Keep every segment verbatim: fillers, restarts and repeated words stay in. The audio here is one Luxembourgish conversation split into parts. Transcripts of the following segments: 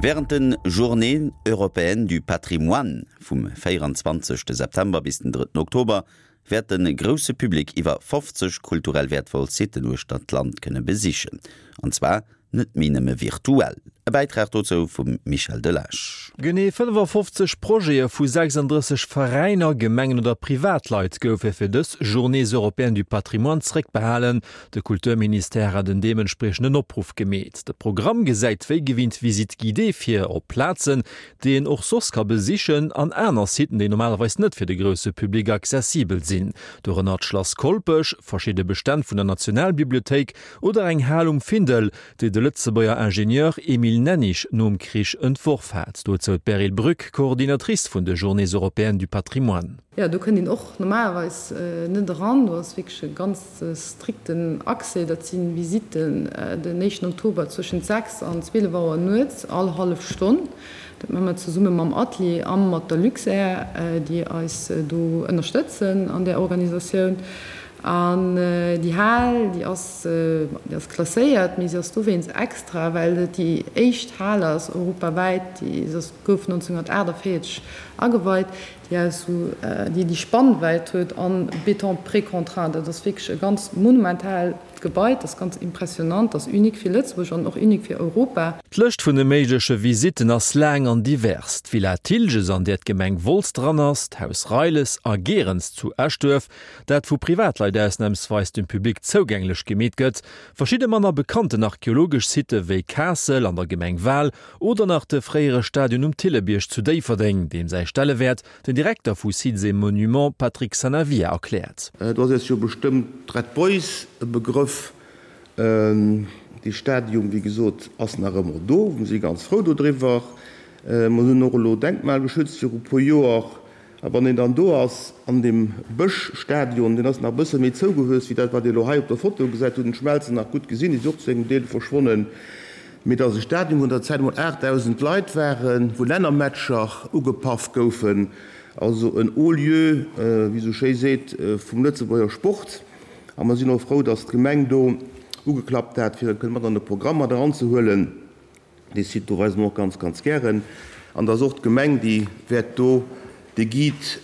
Wärend de Journées européennes du patrimoine vum véieranzwanzegste September bis den drëtten Oktober wäert de grousse Public iwwer fofzeg kulturell wäertvoll Sitten uechter d'Land kënne besichen. An zwar net méi nëmme virtuell. E Bäitrag dozou vum Michel Delage. Genee fënnefafofzeg Projete vu sechsanddrësseg Veräiner, Gemengen oder Privatleit goufe fir dës Journées européennes du patrimoine zréckbehalen. De Kulturministère hat en deementspriechenden Opruff gemeet. De Programm gesäit wéi gewinnt Visites guidées vir op Plazen, déi een och soss ka besichen, an aner Siten, déi normalerweis net fir de grousse Public accessibel sinn. Dorënner d'Schlass Kolpech, verschidde Bestänn vun der Nationalbibliothéik oder eng Hal um Findel, déi de Lëtzebuerger Ingenieur Emile Nennig nom Krich entworf hat. Dozou d'Beryl Brück, Coordinatrice vun de Journées européennes du patrimoine. Jo, do kënnt een och normalerweis net eran. Do ass wierklech e ganz strikten Accès. Dat si Visitten den éischten Oktober zwëschent sechs an zwielef Auer nuets, all hallef Stonn. Dat maache mer zesumme mam Atelier a mat der Luxair, déi eis do ënnerstëtzen an där Organisatioun. An déi Hal, déi ass, déi ass klasséiert, mee se ass dowéinst extra, well et déi éischt Hal ass europawäit, déi, se ass, gouf nonzénhunnertaachtavéierzeg ageweit, déi aus esou, déi déi Spannwäit huet an Béton précontraint. Dat ass wierklech e ganz monumentaalt Gebai, dat ass ganz impressionnant, dat ass unique fir Lëtzebuerg an och unique fir Europa. D'Lëscht vun de méigleche Visitten ass laang an divers, D'Villa Thilges, an där d'Gemeng Wolz dran ass, d'Haus Reiles a Gerens zu Eschduerf, dat vu Privatleit ausnamsweis dem Public zougänglech gemeet gëtt, verschidde manner bekannten archeologesch Sitte wéi Kaassel an der Gemeng Wal oder nach de fréiere Stadion um Thillebierg zu Déifferdeng, deem säi Stellewäert den Direkter vu Sites et Monuments Patrick Sanavia erkläert. Do ass eis jo bestëmmt d'Red Boys e Begrëff. Dee Stadium, wéi gesot, ass nach ëmmer do. Mir si ganz frou dodriwwer. Mer hunn och elo denkmalgeschützt viru e puer Joer. A wann een dann do ass an deem Bëschstadion, deen ass nach e bësse méi zougewuess wéi dat, wat Dir elo hei op der Foto gesäit, hutt en d'Schmelzen nach gutt gesinn, déi si och zu engem Deel verschwonnen, mee et ass e Stadion, wou an der Zäit emol aachtdausend Leit waren, wou Lännermatcher ugepaff goufen, also en haut lieu, wéi esou schéi seet, vum Lëtzebuerger Sport. A mer sinn och frou, datt d'Gemeng do ugeklappt hat, fir e kënne mat an de Programm mat eranzehuelen. Dee Site do weise mer och ganz, ganz gären. An et ass och d'Gemeng, déi wäert do de Guide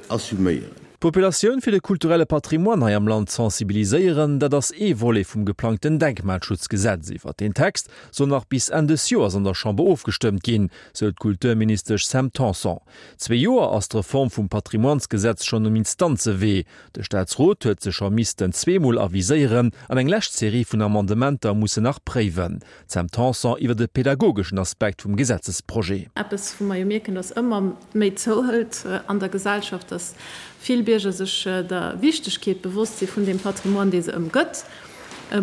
assuméieren. D'Populatioun fir de kulturelle Patrimoine hei am Land sensibiliséieren, dat ass ee Volet vum geplangten Denkmalschutzgesetz. Iwwer deen Text soll nach bis Enn des Joers an der Chamber ofgestëmmt ginn, sou d'Kulturministesch Sam Tanson. Zwee Joer ass d'Reform vum Patrimoinesgesetz schonn um Instanzewee. De Staatsrot huet se scho missten zweemol aviséieren an eng lescht Serie vun Amendementer muss en nach préiwen. D'Sam Tanson iwwer de pedagogeschen Aspekt vum Gesetzesprojet. Eppes, wou mer jo mierken, dass ëmmer méi zouhëlt an der Gesellschaft, dass vill Bierger sech der Wichtegkeet bewosst si vun deem Patrimoine, dee se ëmgëtt,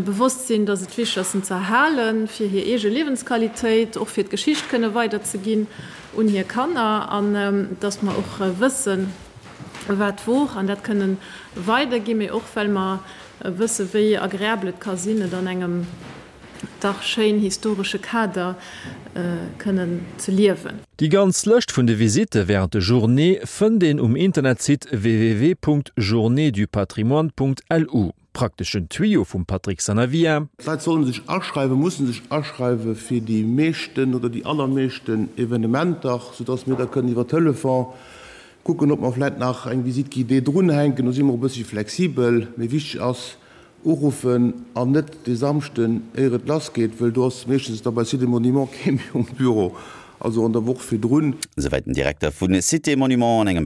bewosst sinn, dass et wichteg ass, en ze erhalen, fir hir eege Liewensqualitéit, och fir d'Geschicht kënne weiderzeginn un hir Kanner, an dass mer och wëssen, wat wor, an dat kënne weiderginn, mee och well mer wëssen, wéi agreabel et ka sinn, et an engem dach schéin historesche Kader kënnen ze liewen. Déi ganz Lëscht vun de Visitte wärend de Journéeë fënnt een um Internetsite www.journéesdupatrimoine.lu. Prakteschen Tuyau vum Patrick Sanavia. D'Leit sollen sech aschreiwen, mussen sech aschreiwe fir déi meeschten oder déi allermeeschten Evenementer, soudass mir da kënnen iwwer Telefon kucken, ob mer vläicht nach eng Visite guidée drunhänken. Do si mer e bëssche flexibel, mee wichteg ass, Uruffen an net de Samschden éier et lass geet, wëll do ass meeschtens da bei Cité Monument kee méi um Büro, also an der Woch virdrun. Souwäit den Direkter vu Cité Monument an engem.